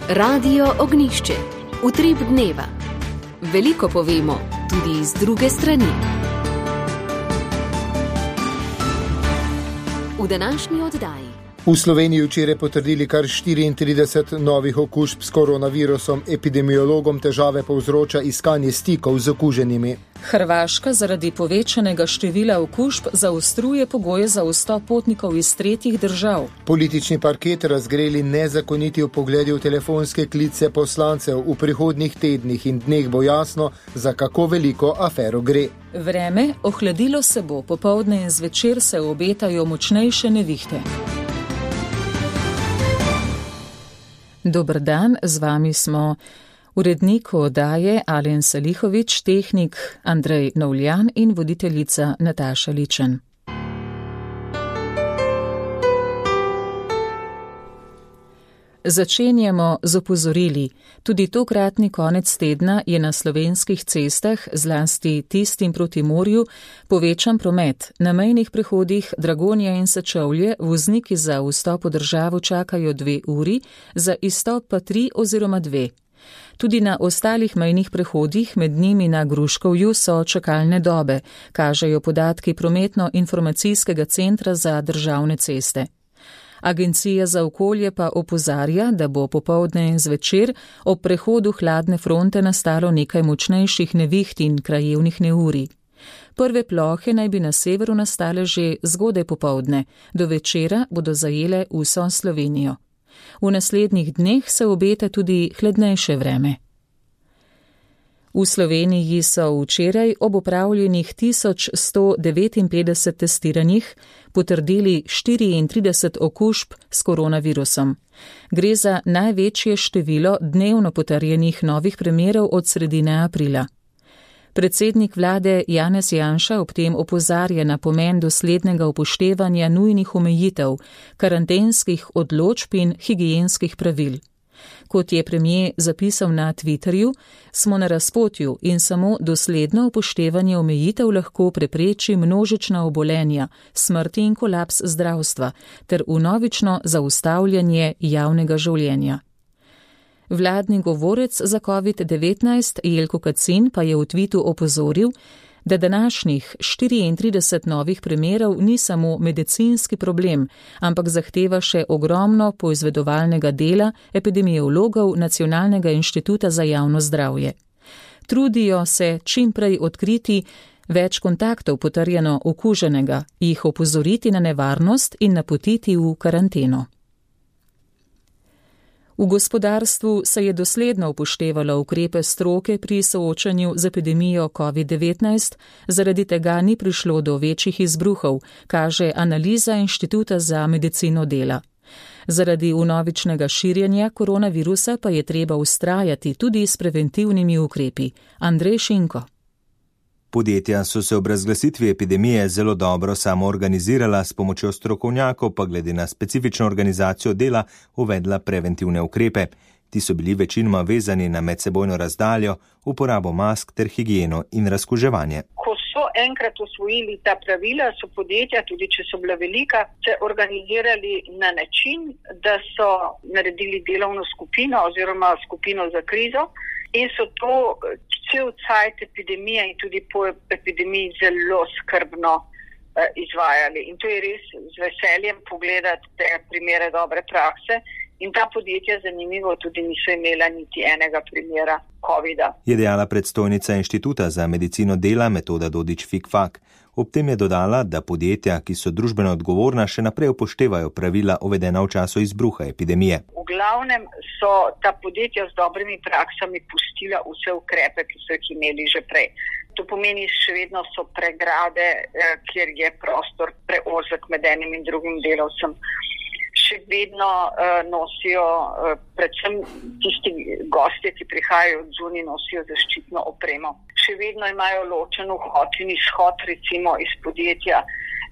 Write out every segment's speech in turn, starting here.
Radio Ognišče, utrip dneva. Veliko povemo, tudi z druge strani. V današnji oddaji. V Sloveniji včeraj potrdili kar 34 novih okužb s koronavirusom. Epidemiologom težave povzroča iskanje stikov z okuženimi. Hrvaška zaradi povečanega števila okužb zaostruje pogoje za vstop potnikov iz tretjih držav. Politični parket razgreli nezakoniti vpogledi v telefonske klice poslancev. V prihodnjih tednih in dneh bo jasno, za kako veliko afero gre. Vreme, ohladilo se bo, popoldne in zvečer se obetajo močnejše nevihte. Dober dan, z vami smo urednik oddaje Alen Salihović, tehnik Andrej Novljan in voditeljica Nataša Ličen. Začenjamo z opozorili. Tudi tokratni konec tedna je na slovenskih cestah, zlasti tistim proti morju, povečan promet. Na mejnih prehodih Dragonja in Sečovlje vozniki za vstop v državo čakajo 2 uri, za izstop pa 3 oziroma 2. Tudi na ostalih mejnih prehodih, med njimi na Gruškovju, so čakalne dobe, kažejo podatki Prometno-informacijskega centra za državne ceste. Agencija za okolje pa opozarja, da bo popoldne in zvečer ob prehodu hladne fronte nastalo nekaj močnejših neviht in krajevnih neurij. Prve plohe naj bi na severu nastale že zgodaj popoldne, do večera bodo zajele vso Slovenijo. V naslednjih dneh se obeta tudi hladnejše vreme. V Sloveniji so včeraj ob opravljenih 1159 testiranjih potrdili 34 okužb s koronavirusom. Gre za največje število dnevno potrjenih novih primerov od sredine aprila. Predsednik vlade Janez Janša ob tem opozarja na pomen doslednega upoštevanja nujnih omejitev, karantenskih odločb in higienskih pravil. Kot je premier zapisal na Twitterju, smo na razpotju in samo dosledno upoštevanje omejitev lahko prepreči množična obolenja, smrti in kolaps zdravstva ter vnovično zaustavljanje javnega življenja. Vladni govorec za COVID-19 Jelko Kacin pa je v tvitu opozoril, da današnjih 34 novih primerov ni samo medicinski problem, ampak zahteva še ogromno poizvedovalnega dela epidemiologov Nacionalnega inštituta za javno zdravje. Trudijo se čim prej odkriti več kontaktov potrjeno okuženega, jih opozoriti na nevarnost in napotiti v karanteno. V gospodarstvu se je dosledno upoštevalo ukrepe stroke pri soočanju z epidemijo COVID-19, zaradi tega ni prišlo do večjih izbruhov, kaže analiza Inštituta za medicino dela. Zaradi vnovičnega širjenja koronavirusa pa je treba vztrajati tudi s preventivnimi ukrepi. Andrej Šinko. Podjetja so se ob razglasitvi epidemije zelo dobro samoorganizirala, s pomočjo strokovnjakov pa glede na specifično organizacijo dela uvedla preventivne ukrepe. Ti so bili večinoma vezani na medsebojno razdaljo, uporabo mask ter higieno in razkuževanje. Ko so enkrat osvojili ta pravila, so podjetja, tudi če so bila velika, se organizirali na način, da so naredili delovno skupino oziroma skupino za krizo in so to cel cajt epidemije in tudi po epidemiji zelo skrbno izvajali. In to je res z veseljem pogledati te primere dobre prakse. In ta podjetja, zanimivo, tudi niso imela niti enega primera COVID-a. Je dejala predstojnica Inštituta za medicino dela Metoda Dodič-Fikfak. Ob tem je dodala, da podjetja, ki so družbeno odgovorna, še naprej upoštevajo pravila uvedena v času izbruha epidemije. V glavnem so ta podjetja z dobrimi praksami pustila vse ukrepe, ki so jih imeli že prej. To pomeni, še vedno so pregrade, kjer je prostor preozek med enim in drugim delavcem. Še vedno nosijo, predvsem tisti gostje, ki prihajajo od zunaj, nosijo zaščitno opremo. Še vedno imajo ločen vhod in izhod recimo iz podjetja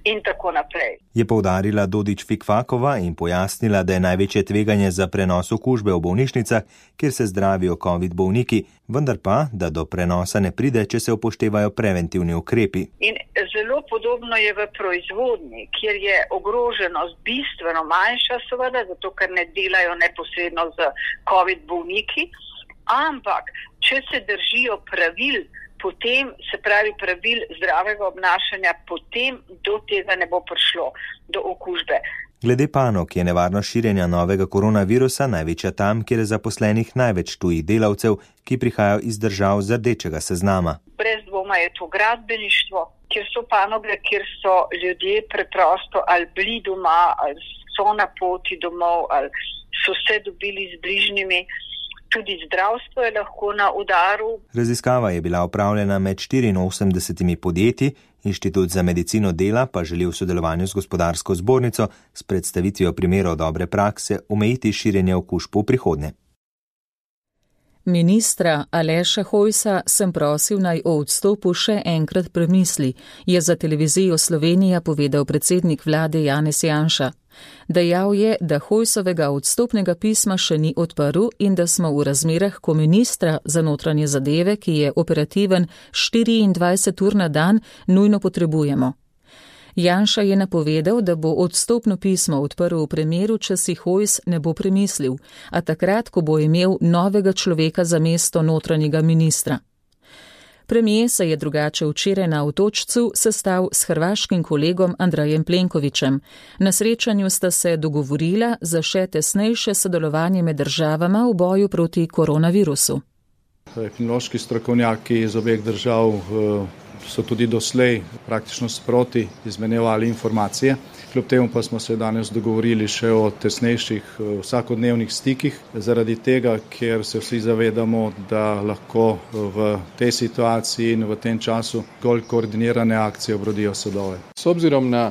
in tako naprej. Je poudarila Dodič Fikfakova in pojasnila, da je največje tveganje za prenos okužbe v bolnišnicah, kjer se zdravijo COVID bolniki, vendar pa, da do prenosa ne pride, če se upoštevajo preventivni ukrepi. In zelo podobno je v proizvodnji, kjer je ogroženost bistveno manjša, seveda, zato ker ne delajo neposredno z COVID bolniki, ampak če se držijo pravil, potem, se pravi pravil zdravega obnašanja, potem do tega ne bo prišlo, do okužbe. Glede panog je nevarnost širjenja novega koronavirusa največja tam, kjer je zaposlenih največ tujih delavcev, ki prihajajo iz držav z rdečega seznama. Brez dvoma je to gradbeništvo, kjer so panoge, kjer so ljudje preprosto ali bili doma, ali so na poti domov, ali so se dobili z bližnjimi. Tudi zdravstvo je lahko na udaru. Raziskava je bila opravljena med 84 podjetji, Inštitut za medicino dela pa želi v sodelovanju z gospodarsko zbornico s predstavitvijo primerov dobre prakse omejiti širjenje okužb v prihodnje. Ministra Aleša Hojsa sem prosil, naj o odstopu še enkrat premisli, je za televizijo Slovenija povedal predsednik vlade Janez Janša. Dejal je, da Hojsovega odstopnega pisma še ni odprl in da smo v razmerah, ko ministra za notranje zadeve, ki je operativen 24 ur na dan, nujno potrebujemo. Janša je napovedal, da bo odstopno pismo odprl v primeru, če si Hojs ne bo premislil, a takrat, ko bo imel novega človeka za mesto notranjega ministra. Premijer se je drugače včeraj na Otočcu sestal s hrvaškim kolegom Andrejem Plenkovićem. Na srečanju sta se dogovorila za še tesnejše sodelovanje med državama v boju proti koronavirusu. Epidemiološki strokovnjaki iz obeh držav so tudi doslej praktično sproti izmenjevali informacije. Kljub temu pa smo se danes dogovorili še o tesnejših vsakodnevnih stikih, zaradi tega, ker se vsi zavedamo, da lahko v tej situaciji in v tem času zgolj koordinirane akcije obrodijo sadove. S obzirom na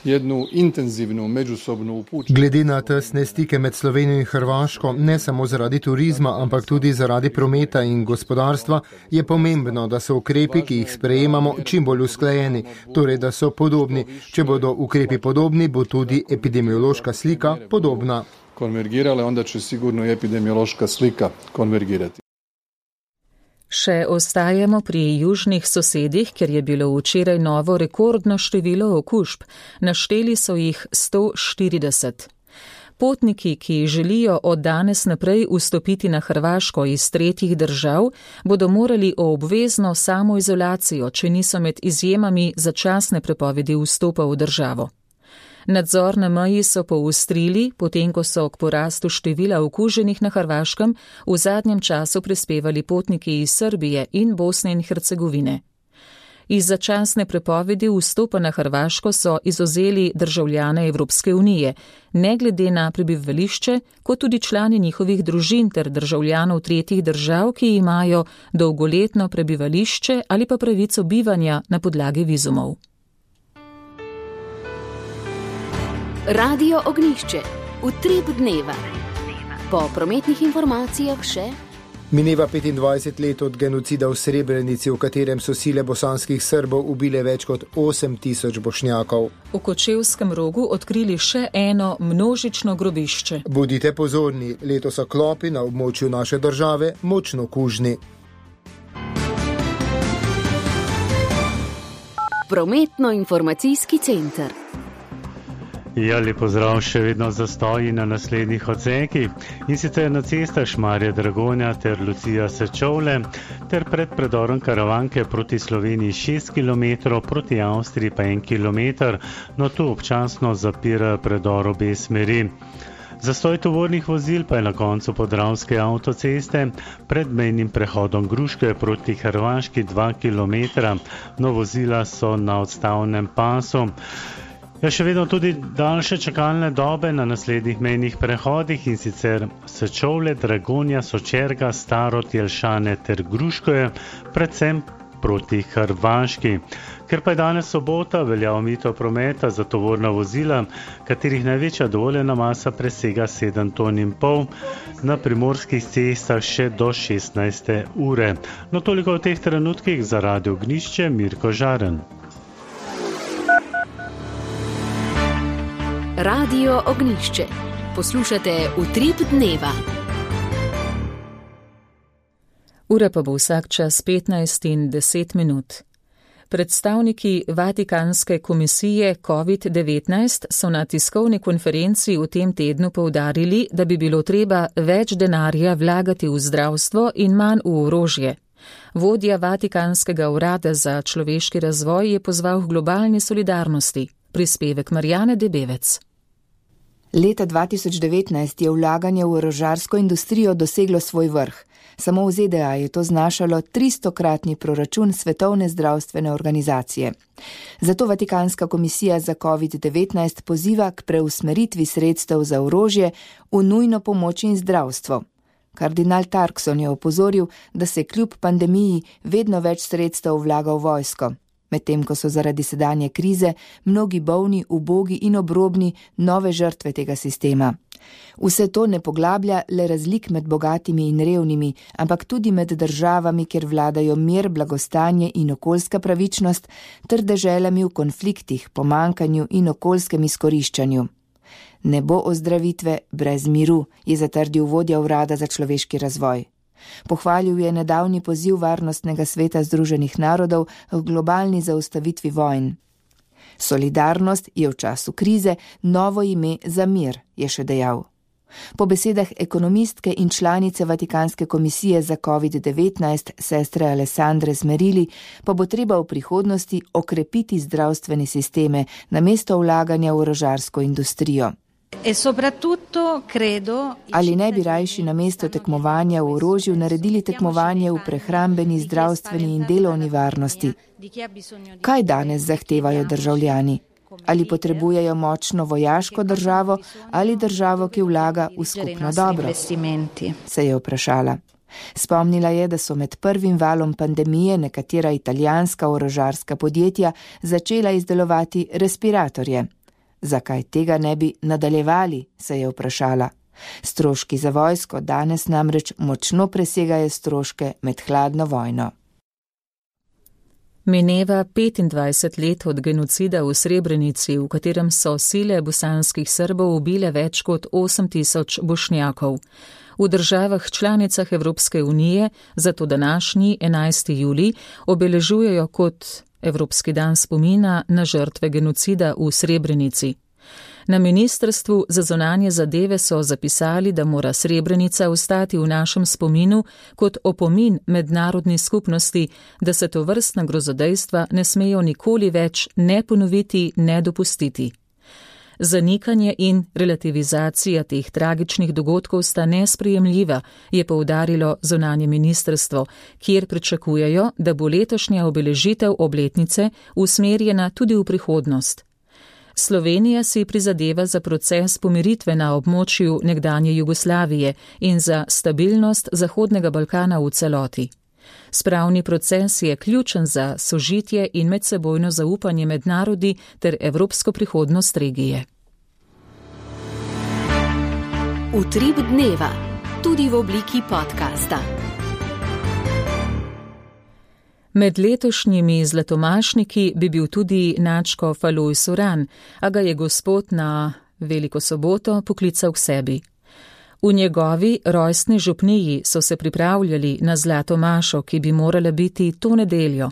jednu intenzivnu međusobnu upućenost. Glede na tesne stike med Slovenijo in Hrvaško, ne samo zaradi turizma, ampak tudi zaradi prometa in gospodarstva, je pomembno, da so ukrepi, ki jih sprejemamo, čim bolj usklajeni, torej da so podobni. Če bodo ukrepi podobni, bo tudi epidemiološka slika podobna. Konvergirale, onda će sigurno i epidemiološka slika konvergirati. Še ostajamo pri južnih sosedih, ker je bilo včeraj novo rekordno število okužb. Našteli so jih 140. Potniki, ki želijo od danes naprej vstopiti na Hrvaško iz tretjih držav, bodo morali o obvezno samoizolacijo, če niso med izjemami začasne prepovedi vstopa v državo. Nadzor na meji so poostrili, potem ko so k porastu števila okuženih na Hrvaškem v zadnjem času prispevali potniki iz Srbije in Bosne in Hercegovine. Iz začasne prepovedi vstopa na Hrvaško so izvzeli državljane Evropske unije, ne glede na prebivališče, kot tudi člani njihovih družin ter državljanov tretjih držav, ki imajo dolgoletno prebivališče ali pa pravico bivanja na podlagi vizumov. Radio Ognjišče, utrip dneva. Po prometnih informacijah še. Mineva 25 let od genocida v Srebrenici, v katerem so sile bosanskih Srbov ubile več kot 8000 Bošnjakov. V Kočevskem Rogu odkrili še eno množično grobišče. Bodite pozorni, letos so klopi na območju naše države močno kužni. Prometno-informacijski center. Ja, lep pozdrav, še vedno zastoji na naslednjih odsekih, in sicer na cestah Šmarje-Dragonja ter Lucija-Sečovlje ter pred predorom Karavanke proti Sloveniji 6 km, proti Avstriji pa 1 km, no tu občasno zapira predor obe smeri. Zastoj tovornih vozil pa je na koncu Podravske avtoceste pred mejnim prehodom Gruške proti Hrvaški 2 km, no vozila so na odstavnem pasu. Ja, še vedno tudi daljše čakalne dobe na naslednjih mejnih prehodih, in sicer Sečovlje, Dragonja, Sočerga, Starod, Jelšane ter Gruškoje, predvsem proti Hrvaški. Ker pa je danes sobota, velja omejitev prometa za tovorna vozila, katerih največja dovoljena masa presega 7,5 ton, na primorskih cestah še do 16. ure. No, toliko v teh trenutkih za Radio Ognjišče, Mirko Žaren. Radio Ognjišče. Poslušate Utrip dneva. Ura pa bo vsak čas 15:10. Predstavniki Vatikanske komisije COVID-19 so na tiskovni konferenci v tem tednu poudarili, da bi bilo treba več denarja vlagati v zdravstvo in manj v orožje. Vodja Vatikanskega urada za človeški razvoj je pozval k globalni solidarnosti. Prispevek Marjane Debevec. Leta 2019 je vlaganje v orožarsko industrijo doseglo svoj vrh. Samo v ZDA je to znašalo 300-kratni proračun Svetovne zdravstvene organizacije. Zato Vatikanska komisija za COVID-19 poziva k preusmeritvi sredstev za orožje v nujno pomoč in zdravstvo. Kardinal Tarkson je opozoril, da se kljub pandemiji vedno več sredstev vlaga v vojsko, medtem ko so zaradi sedanje krize mnogi bolni, ubogi in obrobni nove žrtve tega sistema. Vse to ne poglablja le razlik med bogatimi in revnimi, ampak tudi med državami, kjer vladajo mir, blagostanje in okoljska pravičnost, ter deželami v konfliktih, pomankanju in okoljskem izkoriščanju. Ne bo ozdravitve brez miru, je zatrdil vodja urada za človeški razvoj. Pohvalil je nedavni poziv Varnostnega sveta Združenih narodov k globalni zaustavitvi vojn. Solidarnost je v času krize novo ime za mir, je še dejal. Po besedah ekonomistke in članice Vatikanske komisije za COVID-19, sestre Alessandre Zmerili, pa bo treba v prihodnosti okrepiti zdravstvene sisteme namesto vlaganja v orožarsko industrijo. Ali ne bi rajši namesto tekmovanja v orožju naredili tekmovanje v prehrambeni, zdravstveni in delovni varnosti? Kaj danes zahtevajo državljani? Ali potrebujejo močno vojaško državo ali državo, ki vlaga v skupno dobro? Se je vprašala. Spomnila je, da so med prvim valom pandemije nekatera italijanska orožarska podjetja začela izdelovati respiratorje. Zakaj tega ne bi nadaljevali, se je vprašala. Stroški za vojsko danes namreč močno presegajo stroške med hladno vojno. Mineva 25 let od genocida v Srebrenici, v katerem so sile bosanskih Srbov ubile več kot 8000 Bošnjakov. V državah članicah Evropske unije zato današnji 11. julij obeležujejo kot Evropski dan spomina na žrtve genocida v Srebrenici. Na Ministrstvu za zunanje zadeve so zapisali, da mora Srebrenica ostati v našem spominu kot opomin mednarodni skupnosti, da se tovrstna grozodejstva ne smejo nikoli več ne ponoviti, ne dopustiti. Zanikanje in relativizacija teh tragičnih dogodkov sta nesprejemljiva, je poudarilo zunanje ministrstvo, kjer pričakujejo, da bo letošnja obeležitev obletnice usmerjena tudi v prihodnost. Slovenija si prizadeva za proces pomiritve na območju nekdanje Jugoslavije in za stabilnost Zahodnega Balkana v celoti. Spravni proces je ključen za sožitje in medsebojno zaupanje med narodi ter evropsko prihodnost regije. Utrip dneva, tudi v obliki podcasta. Med letošnjimi zlatomašniki bi bil tudi nadškof Alojz Uran, a ga je Gospod na Veliko soboto poklical k sebi. V njegovi rojstni župniji so se pripravljali na zlato mašo, ki bi morala biti to nedeljo.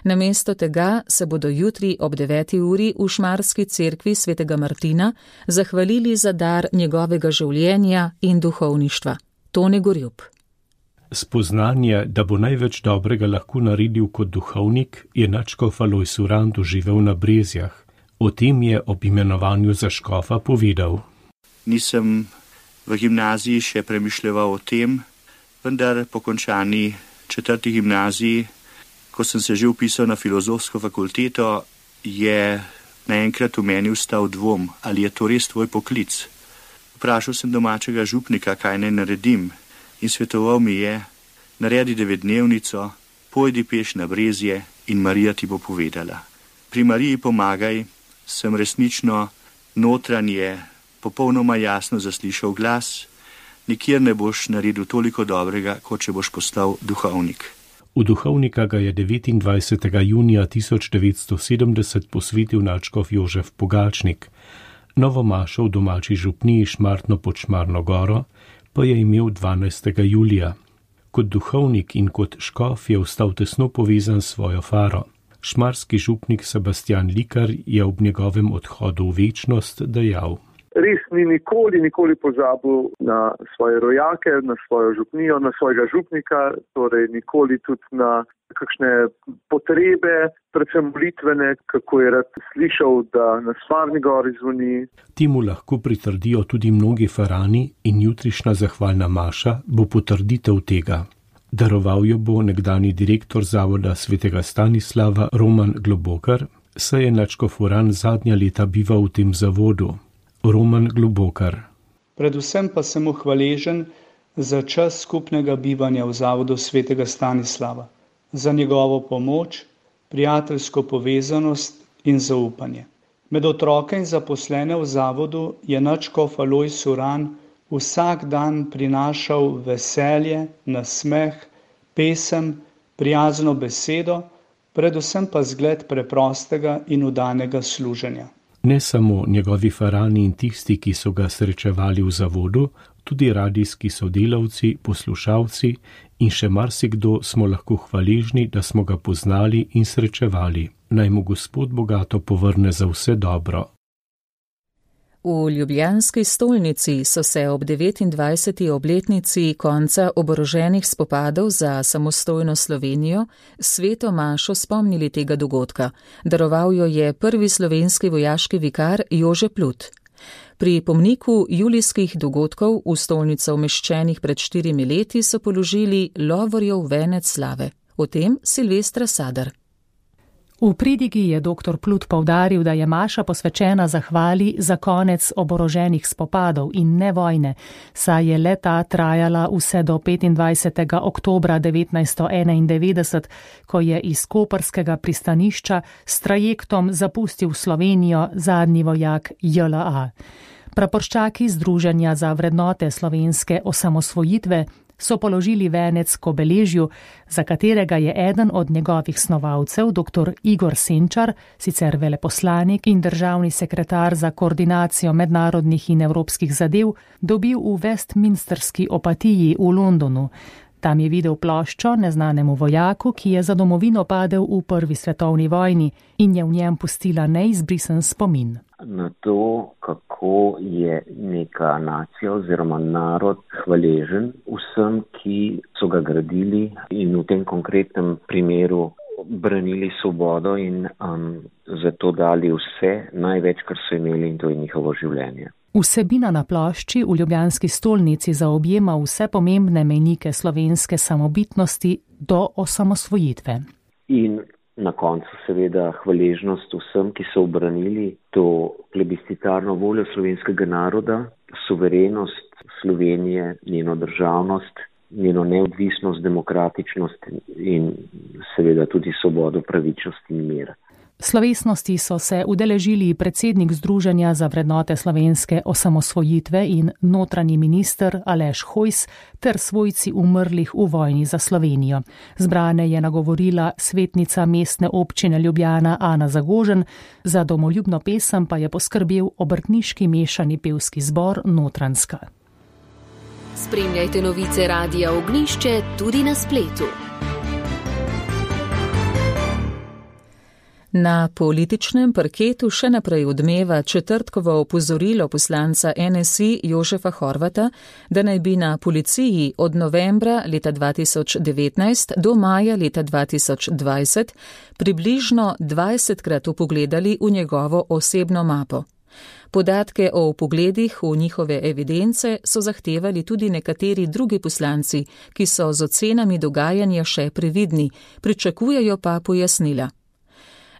Namesto tega se bodo jutri ob 9. uri v Šmarski cerkvi svetega Martina zahvalili za dar njegovega življenja in duhovništva. Tone Gorjup. Spoznanje, da bo največ dobrega lahko naredil kot duhovnik, je nadškof Alojz Uran doživel na Brezjah. O tem je ob imenovanju za škofa povedal. Nisem v gimnaziji še premišljeval o tem, vendar po končani 4. gimnaziji, ko sem se že vpisal na filozofsko fakulteto, je naenkrat v meni vstal dvom, ali je to res tvoj poklic. Vprašal sem domačega župnika, kaj naj naredim, in svetoval mi je, naredi 9-dnevnico, pojdi peš na Brezje in Marija ti bo povedala. Pri Mariji pomagaj, sem resnično notranje, popolnoma jasno zaslišal glas, nikjer ne boš naredil toliko dobrega, kot če boš postal duhovnik. V duhovnika ga je 29. junija 1970 posvetil nadškof Jožef Pogačnik. Novo mašo v domači župniji Šmartno pod Šmarno goro pa je imel 12. julija. Kot duhovnik in kot škof je ostal tesno povezan s svojo faro. Šmarski župnik Sebastian Likar je ob njegovem odhodu v večnost dejal: Res ni nikoli pozabil na svoje rojake, na svojo župnijo, na svojega župnika, torej nikoli tudi na kakšne potrebe, predvsem molitvene, kako je rad slišal, da na Šmarni gori zvoni. Temu lahko pritrdijo tudi mnogi farani in jutrišnja zahvalna maša bo potrditev tega. Daroval jo bo nekdani direktor Zavoda svetega Stanislava Roman Globokar, saj je nadškof Uran zadnja leta bival v tem zavodu. Roman Globokar. Predvsem pa sem mu hvaležen za čas skupnega bivanja v Zavodu svetega Stanislava, za njegovo pomoč, prijateljsko povezanost in zaupanje. Med otroke in zaposlene v zavodu je nadškof Alojz Uran vsak dan prinašal veselje, nasmeh, pesem, prijazno besedo, predvsem pa zgled preprostega in vdanega služenja. Ne samo njegovi farani in tisti, ki so ga srečevali v zavodu, tudi radijski sodelavci, poslušalci in še marsikdo smo lahko hvaležni, da smo ga poznali in srečevali. Naj mu Gospod bogato povrne za vse dobro. V ljubljanski stolnici so se ob 29. obletnici konca oboroženih spopadov za samostojno Slovenijo sveto mašo spomnili tega dogodka. Daroval jo je prvi slovenski vojaški vikar Jože Plut. Pri pomniku julijskih dogodkov v stolnico umeščenih pred 4 leti so položili lovorjev venec slave. O tem Silvestra Sadar. V pridigi je dr. Plut poudaril, da je maša posvečena zahvali za konec oboroženih spopadov in ne vojne, saj je le-ta trajala vse do 25. oktobra 1991, ko je iz koprskega pristanišča s trajektom zapustil Slovenijo zadnji vojak JLA. Praporščaki Združenja za vrednote slovenske osamosvojitve so položili venec k obeležju, za katerega je eden od njegovih snovalcev, dr. Igor Senčar, sicer veleposlanik in državni sekretar za koordinacijo mednarodnih in evropskih zadev, dobil v Westminsterski opatiji v Londonu. Tam je videl ploščo neznanemu vojaku, ki je za domovino padel v prvi svetovni vojni in je v njem pustila neizbrisen spomin. Na to, kako je neka nacija oziroma narod hvaležen vsem, ki so ga gradili in v tem konkretnem primeru branili svobodo in zato dali vse, največ, kar so imeli, in to je njihovo življenje. Vsebina na plošči v ljubljanski stolnici zaobjema vse pomembne mejnike slovenske samobitnosti do osamosvojitve. In na koncu seveda hvaležnost vsem, ki so obranili to plebiscitarno voljo slovenskega naroda, suverenost Slovenije, njeno državnost, njeno neodvisnost, demokratičnost in seveda tudi svobodo, pravičnost in mir. Slovesnosti so se udeležili predsednik Združenja za vrednote slovenske osamosvojitve in notranji minister Aleš Hojs ter svojci umrlih v vojni za Slovenijo. Zbrane je nagovorila svetnica mestne občine Ljubljana Ana Zagožen, za domoljubno pesem pa je poskrbel obrtniški mešani pevski zbor Notranjska. Spremljajte novice Radia Ognjišče tudi na spletu. Na političnem parketu še naprej odmeva četrtkovo opozorilo poslanca NSI Jožefa Horvata, da naj bi na policiji od novembra leta 2019 do maja leta 2020 približno 20krat vpogledali v njegovo osebno mapo. Podatke o vpogledih v njihove evidence so zahtevali tudi nekateri drugi poslanci, ki so z ocenami dogajanja še previdni, pričakujejo pa pojasnila.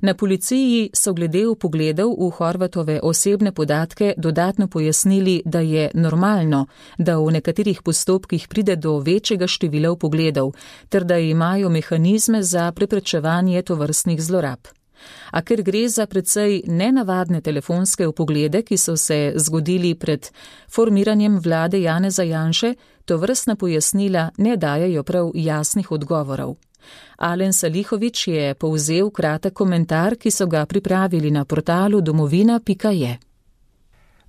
Na policiji so glede vpogledov v Horvatove osebne podatke dodatno pojasnili, da je normalno, da v nekaterih postopkih pride do večjega števila vpogledov, ter da imajo mehanizme za preprečevanje tovrstnih zlorab. A ker gre za precej nenavadne telefonske vpoglede, ki so se zgodili pred formiranjem vlade Janeza Janše, tovrstna pojasnila ne dajejo prav jasnih odgovorov. Alen Salihović je povzel kratek komentar, ki so ga pripravili na portalu domovina.je.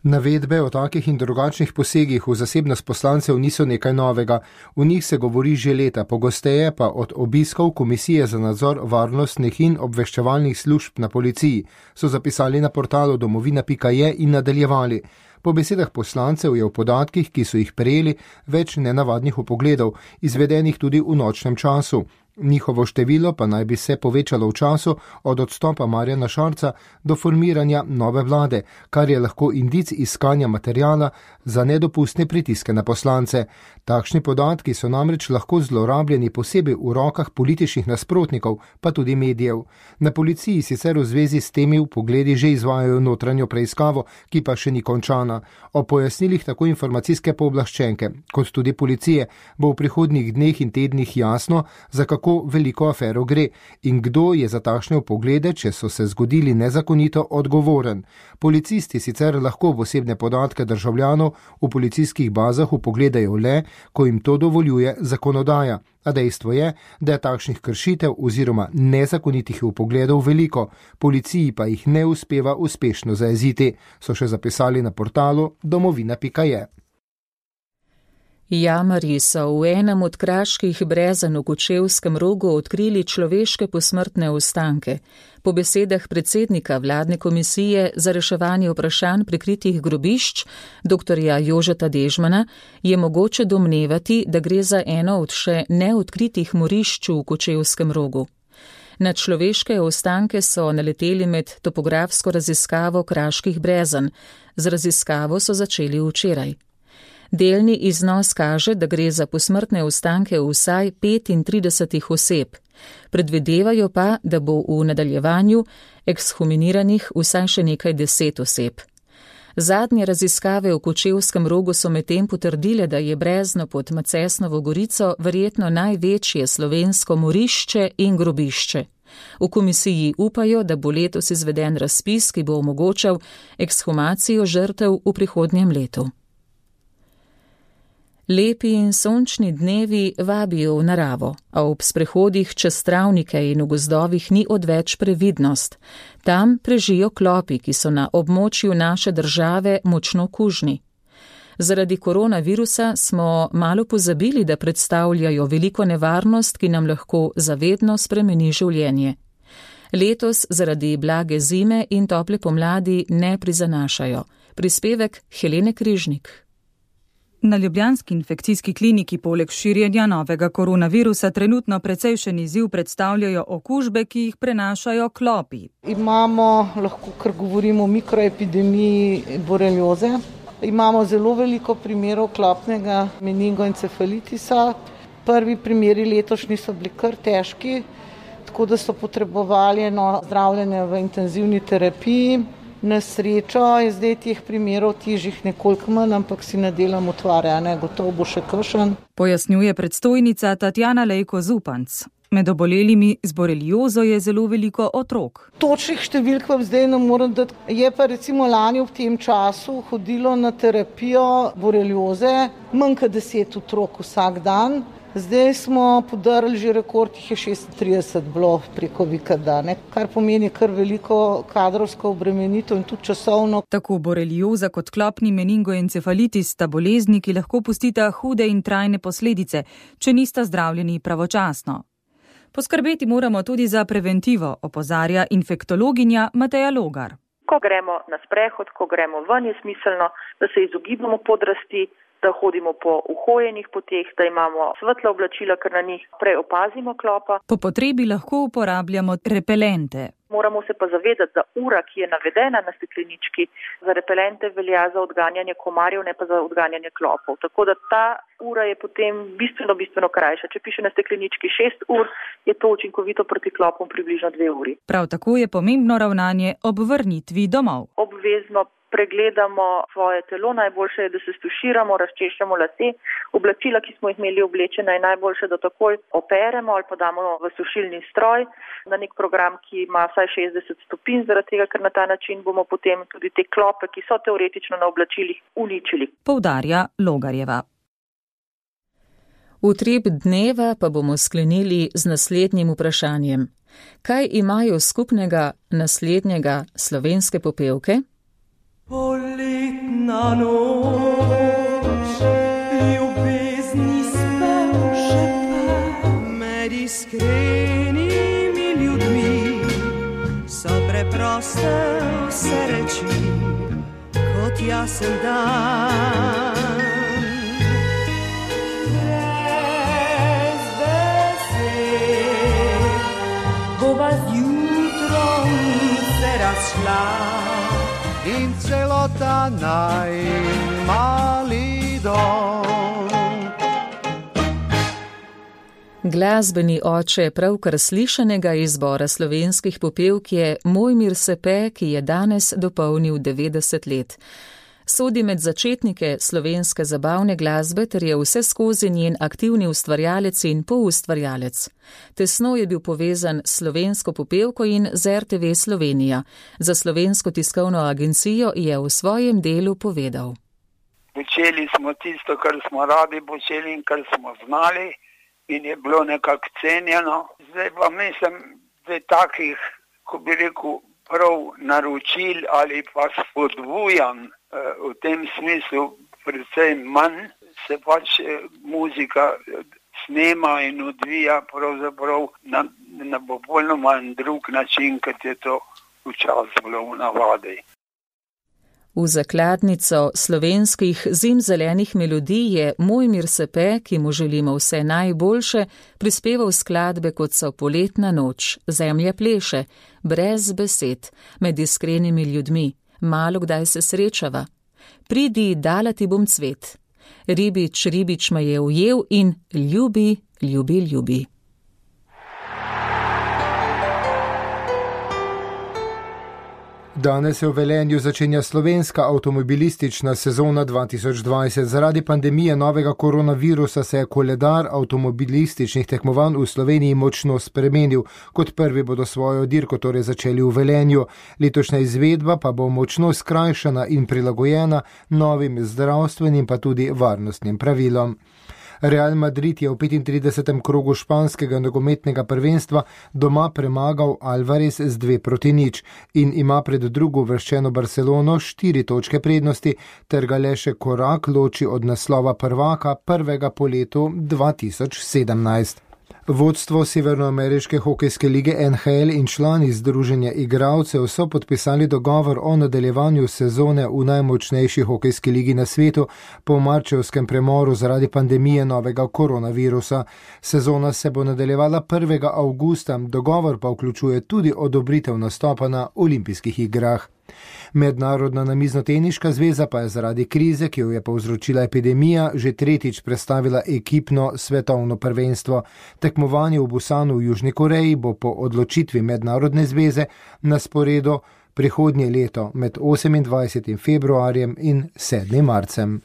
Navedbe o takih in drugačnih posegih v zasebnost poslancev niso nekaj novega. V njih se govori že leta, pogosteje pa od obiskov Komisije za nadzor varnostnih in obveščevalnih služb na policiji, so zapisali na portalu domovina.je in nadaljevali. Po besedah poslancev je v podatkih, ki so jih prejeli, več nenavadnih vpogledov, izvedenih tudi v nočnem času. Njihovo število pa naj bi se povečalo v času od odstopa Marjana Šarca do formiranja nove vlade, kar je lahko indic iskanja materijala za nedopustne pritiske na poslance. Takšni podatki so namreč lahko zlorabljeni posebej v rokah političnih nasprotnikov, pa tudi medijev. Na policiji sicer v zvezi s temi vpogledi že izvajajo notranjo preiskavo, ki pa še ni končana. O pojasnilih tako informacijske pooblaščenke, kot tudi policije, bo v prihodnjih dneh in tednih jasno, za kako veliko afero gre in kdo je za takšne vpoglede, če so se zgodili nezakonito, odgovoren. Policisti sicer lahko v osebne podatke državljanov v policijskih bazah vpogledajo le, ko jim to dovoljuje zakonodaja. A dejstvo je, da je takšnih kršitev oziroma nezakonitih vpogledov veliko, policiji pa jih ne uspeva uspešno zajeziti, so še zapisali na portalu domovina.je. Jamarji so v enem od kraških brezen v Kočevskem Rogu odkrili človeške posmrtne ostanke. Po besedah predsednika vladne komisije za reševanje vprašanj prikritih grobišč, dr. Jožeta Dežmana, je mogoče domnevati, da gre za eno od še neodkritih morišč v Kočevskem Rogu. Na človeške ostanke so naleteli med topografsko raziskavo kraških brezen. Z raziskavo so začeli včeraj. Delni iznos kaže, da gre za posmrtne ostanke vsaj 35 oseb. Predvidevajo pa, da bo v nadaljevanju ekshuminiranih vsaj še nekaj 10 oseb. Zadnje raziskave v Kočevskem Rogu so medtem potrdile, da je brezno pod Macesnovo gorico verjetno največje slovensko morišče in grobišče. V komisiji upajo, da bo letos izveden razpis, ki bo omogočal ekshumacijo žrtev v prihodnjem letu. Lepi in sončni dnevi vabijo v naravo, a ob sprehodih čez travnike in v gozdovih ni odveč previdnost. Tam prežijo klopi, ki so na območju naše države močno kužni. Zaradi koronavirusa smo malo pozabili, da predstavljajo veliko nevarnost, ki nam lahko zavedno spremeni življenje. Letos zaradi blage zime in tople pomladi ne prizanašajo. Prispevek Helene Križnik. Na ljubljanski infekcijski kliniki poleg širjenja novega koronavirusa trenutno precejšen izziv predstavljajo okužbe, ki jih prenašajo klopi. Imamo, lahko kar govorimo o mikroepidemiji borelioze. Imamo zelo veliko primerov klopnega meningoencefalitisa. Prvi primeri letošnji so bili kar težki, tako da so potrebovali zdravljenje v intenzivni terapiji. Na srečo je zdaj teh primerov težjih nekoliko manj, ampak si ne delam utvare, gotovo bo še kakšen. Pojasnjuje predstojnica Tatjana Lejko Zupanc. Med obolelimi z boreliozo je zelo veliko otrok. Točnih številk vam zdaj ne morem dati. Je pa recimo lani v tem času hodilo na terapijo borelioze manj kot 10 otrok vsak dan. Zdaj smo podarili že rekord, jih je 36 bilo preko vikenda, kar pomeni kar veliko kadrovsko obremenitev in tudi časovno. Tako borelioza kot klopni meningoencefalitis sta bolezni, ki lahko pustita hude in trajne posledice, če nista zdravljeni pravočasno. Poskrbeti moramo tudi za preventivo, opozarja infektologinja Mateja Logar. Ko gremo na sprehod, ko gremo ven, je smiselno, da se izogibamo podrasti, da hodimo po uhojenih poteh, da imamo svetla oblačila, ker na njih prej opazimo klopa. Po potrebi lahko uporabljamo repelente. Moramo se pa zavedati, da ura, ki je navedena na steklenički, za repelente velja za odganjanje komarjev, ne pa za odganjanje klopov. Tako da ta ura je potem bistveno krajša. Če piše na steklenički 6 ur, je to učinkovito proti klopom približno 2 uri. Prav tako je pomembno ravnanje ob vrnitvi domov. Obvezno pregledamo svoje telo, najboljše je, da se stuširamo, razčešljamo lase, oblačila, ki smo jih imeli oblečena, je najboljše, da takoj operemo ali pa damo v sušilni stroj na nek program, ki ima vsaj 60 stopinj, zaradi tega, ker na ta način bomo potem tudi te klope, ki so teoretično na oblačilih, uničili. Poudarja Logarjeva. Utrip dneva pa bomo sklenili z naslednjim vprašanjem. Kaj imajo skupnega naslednjega slovenske popevke? Poletna noč, ljubezni spev šepe, med iskrenimi ljudmi so preproste vse reči, kot jasen dan. Brez besed bova z jutrom se razšla in celota najin mali dom. Glasbeni oče pravkar slišanega izbora slovenskih popevk je Mojmir Sepe, ki je danes dopolnil 90 let. Sodi med začetnike slovenske zabavne glasbe ter je vse skozi njen aktivni ustvarjalec in poustvarjalec. Tesno je bil povezan s slovensko popevko in z RTV Slovenija. Za Slovensko tiskovno agencijo je v svojem delu povedal. Počeli smo tisto, kar smo radi počeli in kar smo znali in je bilo nekako cenjeno. Zdaj pa mislim, da takih, ko bi rekel, prav naročil ali pa spodbujan v tem smislu precej manj, se pač muzika snema in odvija pravzaprav na popolnoma drug način, kot je to včasih bilo v navadi. V zakladnico slovenskih zimzelenih melodij je Mojmir Sepe, ki mu želimo vse najboljše, prispeval skladbe kot so Poletna noč, Zemlja pleše, Brez besed, Med iskrenimi ljudmi, Malo kdaj se srečava, Pridi, dala ti bom cvet, Ribič, ribič me je ujel in Ljubi, ljubi, ljubi. Danes se v Velenju začenja slovenska avtomobilistična sezona 2020. Zaradi pandemije novega koronavirusa se je koledar avtomobilističnih tekmovanj v Sloveniji močno spremenil. Kot prvi bodo svojo dirko torej začeli v Velenju. Letošnja izvedba pa bo močno skrajšana in prilagojena novim zdravstvenim pa tudi varnostnim pravilom. Real Madrid je v 35. krogu španskega nogometnega prvenstva doma premagal Alvarez z 2-0 in ima pred drugo uvrščeno Barcelono 4 točke prednosti, ter ga le še korak loči od naslova prvaka prvega po letu 2017. Vodstvo Severnoameriške hokejske lige NHL in člani združenja igralcev so podpisali dogovor o nadaljevanju sezone v najmočnejši hokejski ligi na svetu po marčevskem premoru zaradi pandemije novega koronavirusa. Sezona se bo nadaljevala 1. avgusta, dogovor pa vključuje tudi odobritev nastopa na olimpijskih igrah. Mednarodna namiznoteniška zveza pa je zaradi krize, ki jo je povzročila epidemija, že tretjič prestavila ekipno svetovno prvenstvo. Tekmovanje v Busanu v Južni Koreji bo po odločitvi mednarodne zveze na sporedu prihodnje leto med 28. februarjem in 7. marcem.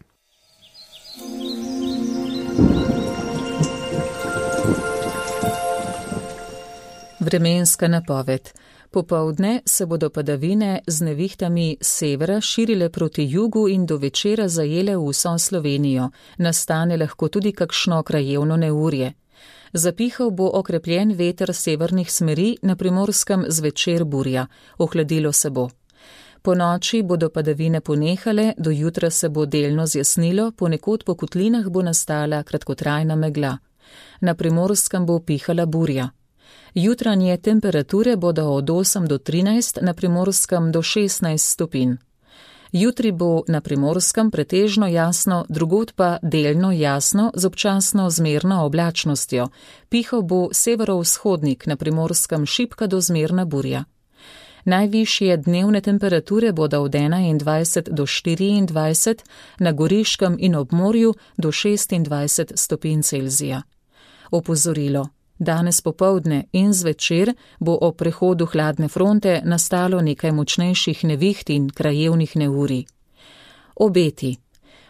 Vremenska napoved. Popoldne se bodo padavine z nevihtami severa širile proti jugu in do večera zajele vso Slovenijo. Nastane lahko tudi kakšno krajevno neurje. Zapihal bo okrepljen veter severnih smeri, na Primorskem zvečer burja. Ohladilo se bo. Po noči bodo padavine ponehale, do jutra se bo delno zjasnilo, ponekod po kotlinah bo nastala kratkotrajna megla. Na Primorskem bo pihala burja. Jutranje temperature bodo od 8 do 13, na Primorskem do 16 stopinj. Jutri bo na Primorskem pretežno jasno, drugod pa delno jasno z občasno zmerno oblačnostjo. Pihal bo severovzhodnik, na Primorskem šibka do zmerna burja. Najvišje dnevne temperature bodo od 21 do 24, na Goriškem in ob morju do 26 stopinj Celzija. Opozorilo. Danes popoldne in zvečer bo ob prehodu hladne fronte nastalo nekaj močnejših neviht in krajevnih neurij. Obeti.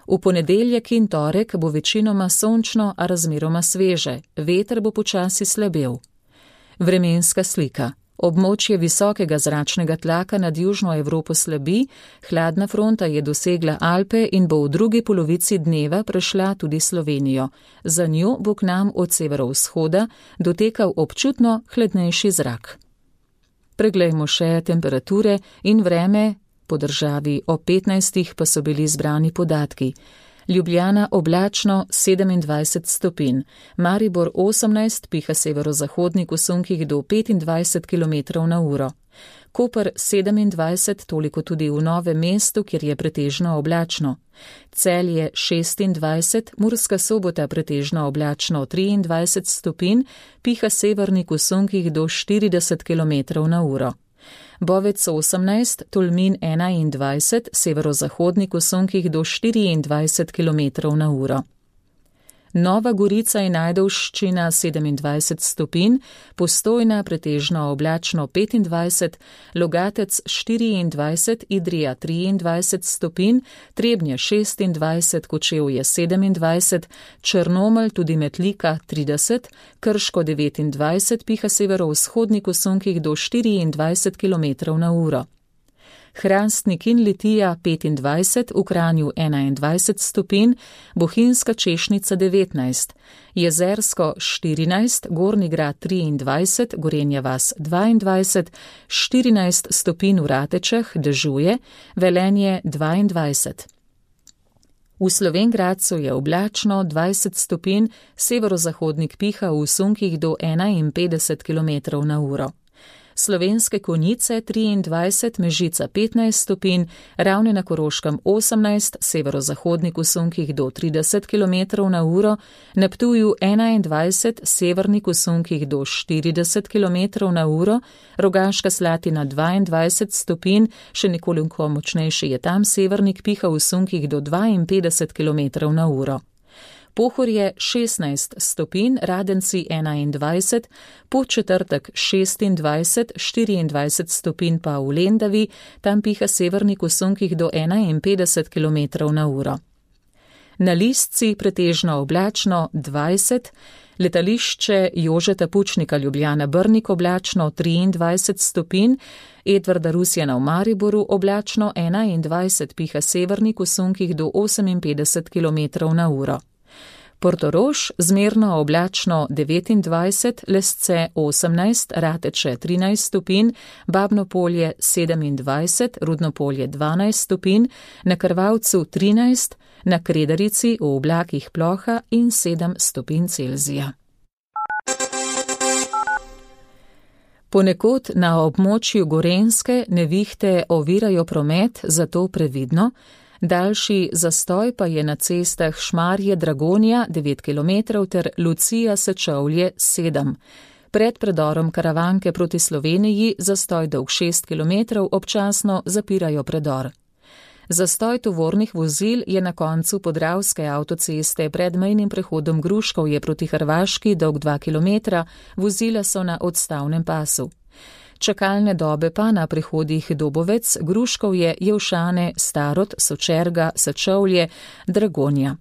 V ponedeljek in torek bo večinoma sončno, a razmeroma sveže. Veter bo počasi slabel. Vremenska slika. Območje visokega zračnega tlaka nad Južno Evropo slabi, hladna fronta je dosegla Alpe in bo v drugi polovici dneva prešla tudi Slovenijo. Za njo bo k nam od severovzhoda dotekal občutno hladnejši zrak. Preglejmo še temperature in vreme Po državi o 15 pa so bili zbrani podatki. Ljubljana oblačno 27 stopinj, Maribor 18, piha severozahodnik v sunkih do 25 km/h. Koper 27, toliko tudi v Novem mestu, kjer je pretežno oblačno. Celje 26, Murska Sobota pretežno oblačno 23 stopinj, piha severnik v sunkih do 40 km/h. Bovec 18, Tolmin 21, severozahodnik v sunkih do 24 km/h. Nova Gorica in Ajdovščina 27 stopinj, Postojna pretežno oblačno 25, Logatec 24, Idrija 23 stopinj, Trebnje 26, Kočevje 27, Črnomelj tudi Metlika 30, Krško 29, piha severovzhodnik v sunkih do 24 km/h. Hrastnik in Litija 25, v Kranju 21 stopinj, Bohinjska Češnica 19, Jezersko 14, Gornji Grad 23, Gorenja vas 22, 14 stopinj v Ratečah, dežuje, Velenje 22. V Slovenj Gradcu je oblačno 20 stopinj, severozahodnik piha v sunkih do 51 km/h. Slovenske Konjice 23, Mežica 15 stopinj, Ravne na Koroškem 18, severozahodnik v sunkih do 30 km/h, na Ptuju 21, severnik v sunkih do 40 km/h, Rogaška Slatina 22 stopinj, še nekoliko močnejši je tam severnik, piha v sunkih do 52 km/h. Pohorje 16 stopinj, Radenci 21, Podčetrtek 26, 24 stopinj pa v Lendavi, tam piha severnik v sunkih do 51 km/h. Na Listci pretežno oblačno 20, letališče Jožeta Pučnika Ljubljana Brnik oblačno 23 stopinj, Edvarda Rusjana v Mariboru oblačno 21, piha severnik v sunkih do 58 km/h. Portorož zmerno oblačno 29, Lesce 18, Rateče 13 stopinj, Babno Polje 27, Rudno Polje 12 stopinj, na Krvavcu 13, na Kredarici v oblakih ploha in 7 stopinj Celzija. Ponekod na območju Gorenjske nevihte ovirajo promet, zato previdno. Daljši zastoj pa je na cestah Šmarje Dragonja 9 km ter Lucija Sečovlje 7. Pred predorom Karavanke proti Sloveniji zastoj dolg 6 km občasno zapirajo predor. Zastoj tovornih vozil je na koncu Podravske avtoceste pred mejnim prehodom Gruškovje proti Hrvaški dolg 2 km, vozila so na odstavnem pasu. Čakalne dobe pa na prehodih Dobovec, Gruškovje, Jevšane, Starod, Sočerga, Sečovlje, Dragonja.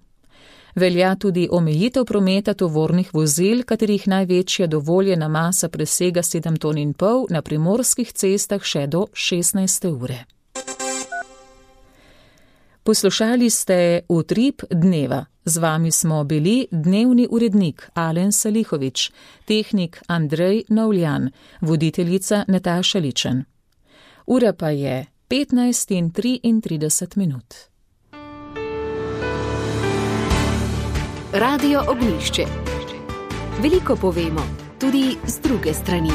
Velja tudi omejitev prometa tovornih vozil, katerih največja dovoljena masa presega 7,5 ton, na primorskih cestah še do 16. ure. Poslušali ste Utrip dneva. Z vami smo bili dnevni urednik Alen Salihovič, tehnik Andrej Novljan, voditeljica Nataša Ličen. Ura pa je 15:33. Radio Ognjišče. Veliko povemo, tudi z druge strani.